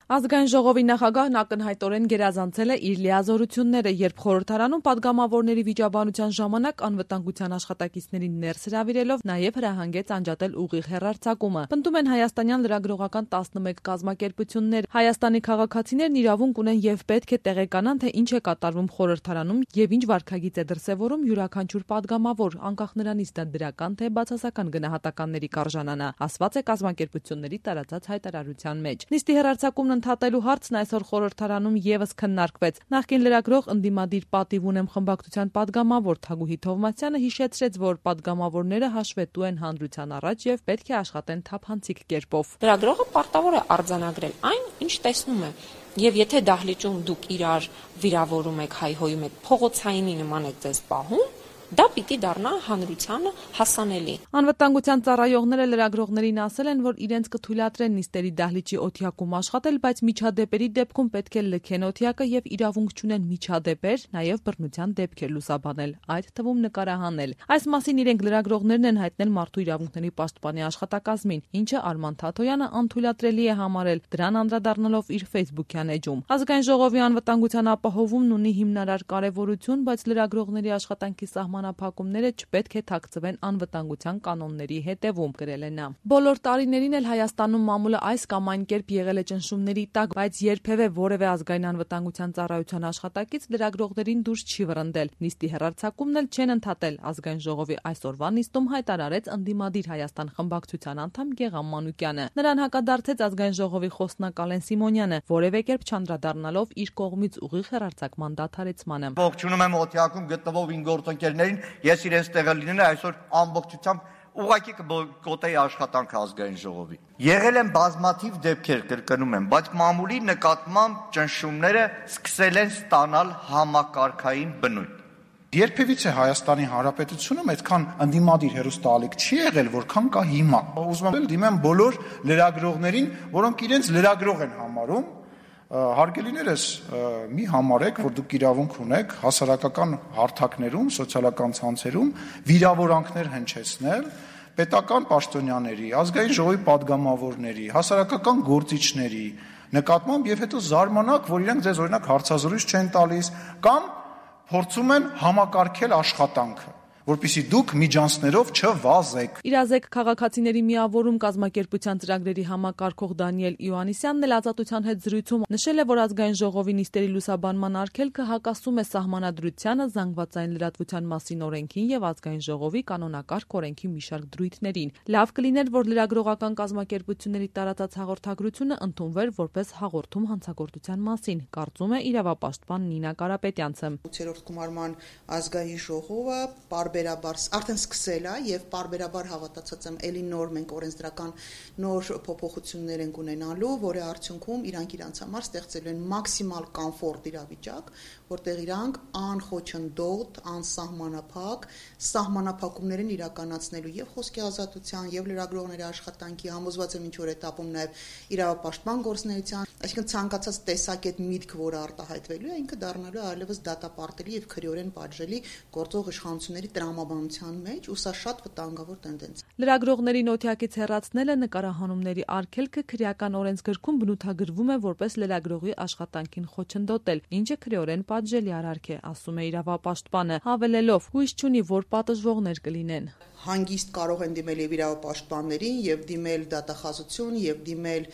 Ազգային ժողովի նախագահն ակնհայտորեն գերազանցել է իր լիազորությունները, երբ խորհրդարանում падգամավորների վիճաբանության ժամանակ անվտանգության աշխատակիցներին ներս հրավիրելով նաև հրահանգեց անջատել ուղիղ հեռարձակումը։ Պնդում են հայաստանյան լրագրողական 11 կազմակերպություններ։ Հայաստանի քաղաքացիներն իրավունք ունեն եւ պետք է տեղեկանան, թե ինչ է կատարվում խորհրդարանում եւ ինչ վարքագիծ է դրսեւորում յուրաքանչյուր падգամավոր, անկախ նրանից դա դրական թե բացասական գնահատականների կարժանանա, ասված է կազմակերպությունների տարածած հայտարարության մեջ։ Նիստի հեռարձակումն ընդհատելու հարցն այսօր խորհրդարանում եւս քննարկվեց։ Նախկին լրագրող ընդդիմադիր պատիվ ունեմ խմբակցության падգամավոր Թագուհի Թովմասյանը հիշեցրեց, որ падգամավորները հաշվետու են հանրության առաջ եւ պետք է աշխատեն թափանցիկ կերպով։ Լրագրողը պարտավոր է արձանագրել այն, ինչ տեսնում է։ Եվ եթե դահլիճում դուք իրար վիրավորում եք, հայհոյում եք, փողոցայինի նման եք ձեզ պահում, դա պիտի դառնա հանրությանը հասանելի։ Անվտանգության ծառայողները լրագրողներին ասել են, որ իրենց կթույլատրեն նիստերի դահլիճի օթյակում աշխատել, բայց միջադեպերի դեպքում պետք է լքեն օթյակը եւ իրավունք չունեն միջադեպեր, նաեւ բռնության դեպքեր լուսաբանել, այդ թվում նկարահանել։ Այս մասին իրենք լրագրողներն են հայտնել Մարդու իրավունքների պաշտպանի աշխատակազմին, ինչը Արման Թաթոյանը անթույլատրելի է համարել, դրան անդրադառնալով իր Facebook-յան էջում։ Ազգային ժողովի անվտանգության ապահովումն ունի հիմնարար կարևորություն, բայց լրագրողների աշխատանքի սահմանափակումները չպետք է թաքցվեն անվտանգության կանոնների հետևում, գրել է նա։ Բոլոր տարիներին էլ Հայաստանում մամուլը այս կամ այն կերպ եղել է ճնշումների տակ, բայց երբևէ որևէ ազգային անվտանգության ծառայության աշխատակից լրագրողներին դուրս չի վռնդել։ Նիստի հեռարձակումն էլ չեն ընդհատել։ Ազգային ժողովի այսօրվա նիստում հայտարարեց ընդդիմադիր Հայաստան խմբակցության անդամ Գեգամ Մանուկյանը։ Նրան հակադարձեց ազգային ժողովի խոսնակ Ալեն Սիմոնյանը, որևէ կերպ չանդրադառնալով իր կողմից ուղիղ հեռարձակման դադարեցմանը։ Ողջունում եմ օթյակում գտնվող իմ գործընկերներին, ես իրենց տեղը լինել այսօր ամբողջությամբ ուղղակի կգոտեի աշխատանքը ազգային ժողովի։ Եղել են բազմաթիվ դեպքեր, կրկնում եմ, բայց մամուլի նկատմամբ ճնշումները սկսել են ստանալ համակարգային բնույթ։ Երբևիցե Հայաստանի Հանրապետությունում այդքան ընդդիմադիր հերոստալիք չի եղել, որքան կա հիմա։ Ուզում եմ դիմեմ բոլոր լրագրողներին, որոնք իրենց լրագրող են համարում, հարգելիներս, մի համարեք, որ դուք իրավունք ունեք հասարակական հարթակներում, սոցիալական ցանցերում վիրավորանքներ հնչեցնել պետական պաշտոնյաների, ազգային ժողովի падգամավորների, հասարակական գործիչների նկատմամբ եւ հետո զարմանաք, որ իրենք ձեզ օրինակ հարցազրույց չեն տալիս կամ փորձում են համակարգել աշխատանքը, որպեսզի դուք միջանցներով չվազեք։ Իրազեկ քաղաքացիների միավորում կազմակերպության ծրագրերի համակարգող Դանիել Իոաննիսյանն էլ Ազատության հետ զրույցում նշել է, որ ազգային ժողովի նիստերի լուսաբանման արգելքը հակասում է սահմանադրությանը, զանգվածային լրատվության մասին օրենքին եւ ազգային ժողովի կանոնակարգ օրենքի մի շարք դրույթներին։ Լավ կլիներ, որ լրագրողական կազմակերպությունների տարածած հաղորդագրությունը ընդունվեր որպես հաղորդում հանցագործության մասին, կարծում է իրավապաշտպան Նինա Կարապետյանցը։ 8-րդ գումարման ազգային ժողովը արդեն սկսել է եւ պարբերաբար հավատացած եմ էլի նոր մենք օրենսդրական նոր փոփոխություններ ենք ունենալու, որի արդյունքում իրանց համար ստեղծելու են մաքսիմալ կոմֆորտ իրավիճակ, որտեղ իրանք անխոչնդոտ, անսահմանափակ սահմանափակումներ են իրականացնելու եւ խոսքի ազատության եւ լրագրողների աշխատանքի, համոզված եմ ինչ որ этаպում նաեւ իրավապաշտպան գործունեության, այսինքն ցանկացած տեսակետ միտք, որը արտահայտվելու է, ինքը դառնալու է այլևս դատապարտելի եւ քրեորեն պատժելի գործող իշխանությունների տրամաբանության մեջ, ու սա շատ վտանգավոր տենդենց է։ Լրագրողների նոթյակից հեռացնելը նկարահանումների արգելքը քրեական օրենսգրքում բնութագրվում է որպես լրագրողի աշխատանքին խոչընդոտել, ինչը քրեորեն պատժելի արարք է, ասում է իրավապաշտպանը, հավելելով՝ հույս չունի, որ պատժվողներ կլինեն։ Հանգիստ կարող են դիմել եւ իրավապաշտպաններին եւ դիմել դատախազություն եւ դիմել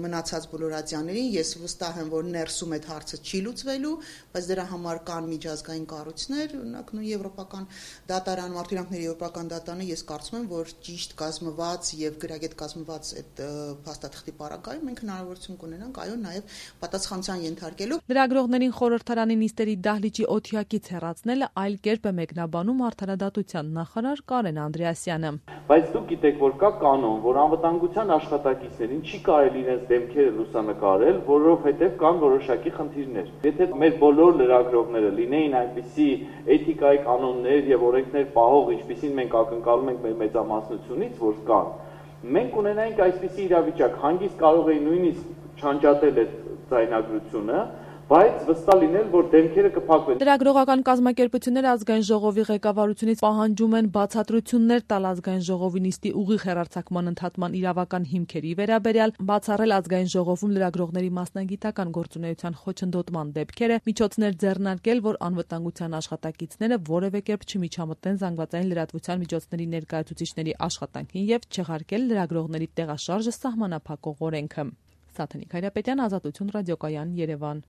մնացած բոլոր ադյաներին։ Ես վստահ եմ, որ ներսում այդ հարցը չի լուծվելու, բայց դրա համար կան միջազգային կառույցներ, օրինակ նույն եվրոպական դատարան, մարդու իրավունքների եվրոպական դատարանը, ես կարծում եմ, որ ճիշտ կազմված եւ գրագետ կազմված այդ փաստաթղթի պարագայում մենք հնարավորություն կունենանք, այո, նաեւ պատասխանության ենթարկելու։ Լրագրողներին խորհրդարանի նիստերի դահլիճի օթյակից հեռացնելը այլ կերպ է մեկնաբանում Արդարադատության նախարար Կարեն Անդրեասյանը։ Բայց դուք գիտեք, որ կա կանոն, որ անվտանգության աշխատակիցներին չի կարելի իրենց դեմքերը լուսանկարել, որովհետև կան որոշակի խնդիրներ։ Եթե մեր բոլոր լրագրողները լինեին այնպիսի էթիկայի կանոններ եւ օրենքներ պահող, ինչպիսին մենք ակնկալում ենք մեր մեծամասնությունից, որ կան, մենք ունենայինք այսպիսի իրավիճակ, հանգիստ կարող էի նույնիսկ չանջատել այդ ձայնագրությունը, բայց վստահ լինել, որ դեմքերը կփակվեն։ Լրագրողական կազմակերպությունները ազգային ժողովի ղեկավարությունից պահանջում են բացատրություններ տալ ազգային ժողովի նիստի ուղիղ հեռարձակման ընդհատման իրավական հիմքերի վերաբերյալ, բացառել ազգային ժողովում լրագրողների մասնագիտական գործունեության խոչընդոտման դեպքերը, միջոցներ ձեռնարկել, որ անվտանգության աշխատակիցները որևէ կերպ չմիջամտնեն զանգվածային լրատվության միջոցների ներկայացուցիչների աշխատանքին եւ չեղարկել լրագրողների տեղաշարժը սահմանափակող օրենքը։ Սաթենիկ Հայրապետյան, Ազատություն ռադիոկայան, Երևան։